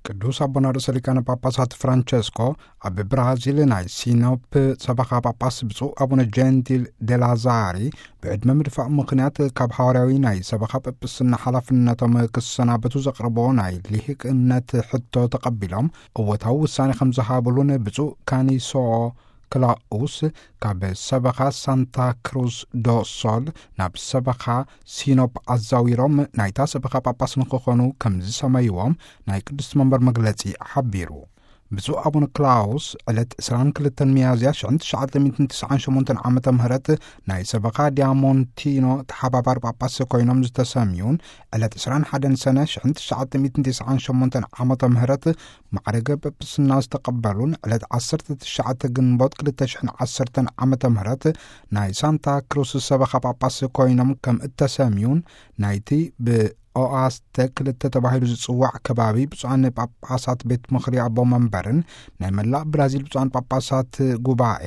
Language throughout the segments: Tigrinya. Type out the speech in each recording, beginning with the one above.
ቅዱስ ኣቦና ርእሰ ሊቃነ ጳጳሳት ፍራንቸስኮ ኣብ ብራዚል ናይ ሲኖፕ ሰበኻ ጳጳስ ብፁዕ ኣቡነ ጀንቲል ዴላዛሪ ብዕድመ ምድፋእ ምኽንያት ካብ ሓዋርያዊ ናይ ሰበኻ ጳጳስና ሓላፍነቶም ክሰናበቱ ዘቕርቦ ናይ ልሂቅነት ሕቶ ተቐቢሎም እወታዊ ውሳኔ ከም ዝሃብሉን ብፁዕ ካኒሶ ክላኡስ ካብ ሰበኻ ሳንታ ክሩዝ ዶ ሶል ናብ ሰበኻ ሲኖፕ ኣዛዊሮም ናይታ ሰበኻ ጳጳስ ንክኾኑ ከም ዝሰመይዎም ናይ ቅዱስ መንበር መግለጺ ሓቢሩ። ብፁዕ ኣቡነ ክላውስ ዕለት ዕስራን ክልተን ሚያዝያ ሽሕን ትሽዓተ ሚእትን ትስዓን ሸሞንተን ዓመተ ምህረት ናይ ሰበኻ ዲያሞንቲኖ ተሓባባሪ ጳጳስ ኮይኖም ዝተሰምዩን ዕለት ዕስራን ሓደን ሰነ ሽሕን ትሽዓተ ሚእትን ትስዓን ሸሞንተን ዓመተ ምህረት ማዕረገ ጳጳስና ዝተቐበሉን ዕለት ዓሰርተ ትሽዓተ ግንቦት ክልተ ሽሕን ዓሰርተን ዓመተ ምህረት ናይ ሳንታ ክሩስ ሰበኻ ጳጳስ ኮይኖም ከም እተሰምዩን ናይቲ ብ ኦኣስተ ክልተ ተባሂሉ ዝጽዋዕ ከባቢ ብፁዓን ጳጳሳት ቤት ምኽሪ ኣቦ መንበርን ናይ መላእ ብራዚል ብፁዓን ጳጳሳት ጉባኤ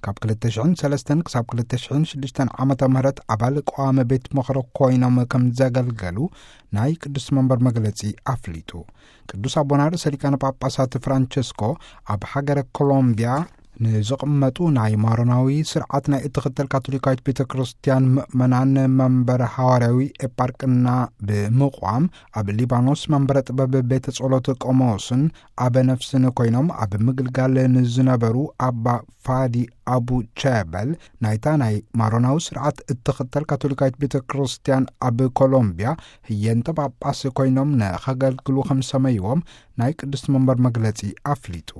ካብ ክልተ ሽሕን ሰለስተን ክሳብ ክልተ ሽሕን ሽዱሽተን ዓመተ ምህረት ኣባል ቀዋሚ ቤት ምኽሪ ኮይኖም ከም ዘገልገሉ ናይ ቅዱስ መንበር መግለጺ ኣፍሊጡ። ቅዱስ ኣቦና ርእሰ ሊቃነ ጳጳሳት ፍራንቸስኮ ኣብ ሃገረ ኮሎምቢያ ንዝቕመጡ ናይ ማሮናዊ ስርዓት ናይ እትኽተል ካቶሊካዊት ቤተ ክርስቲያን ምእመናን መንበር ሃዋርያዊ ኤጳርቅና ብምቋም ኣብ ሊባኖስ መንበረ ጥበብ ቤተ ጸሎት ቆሞስን ኣበ ነፍስን ኮይኖም ኣብ ምግልጋል ንዝነበሩ ኣባ ፋዲ ኣቡ ቸበል ናይታ ናይ ማሮናዊ ስርዓት እትኽተል ካቶሊካዊት ቤተ ክርስቲያን ኣብ ኮሎምቢያ ህየንተ ጳጳስ ኮይኖም ንኸገልግሉ ከም ሰመይዎም ናይ ቅድስቲ መንበር መግለጺ ኣፍሊጡ።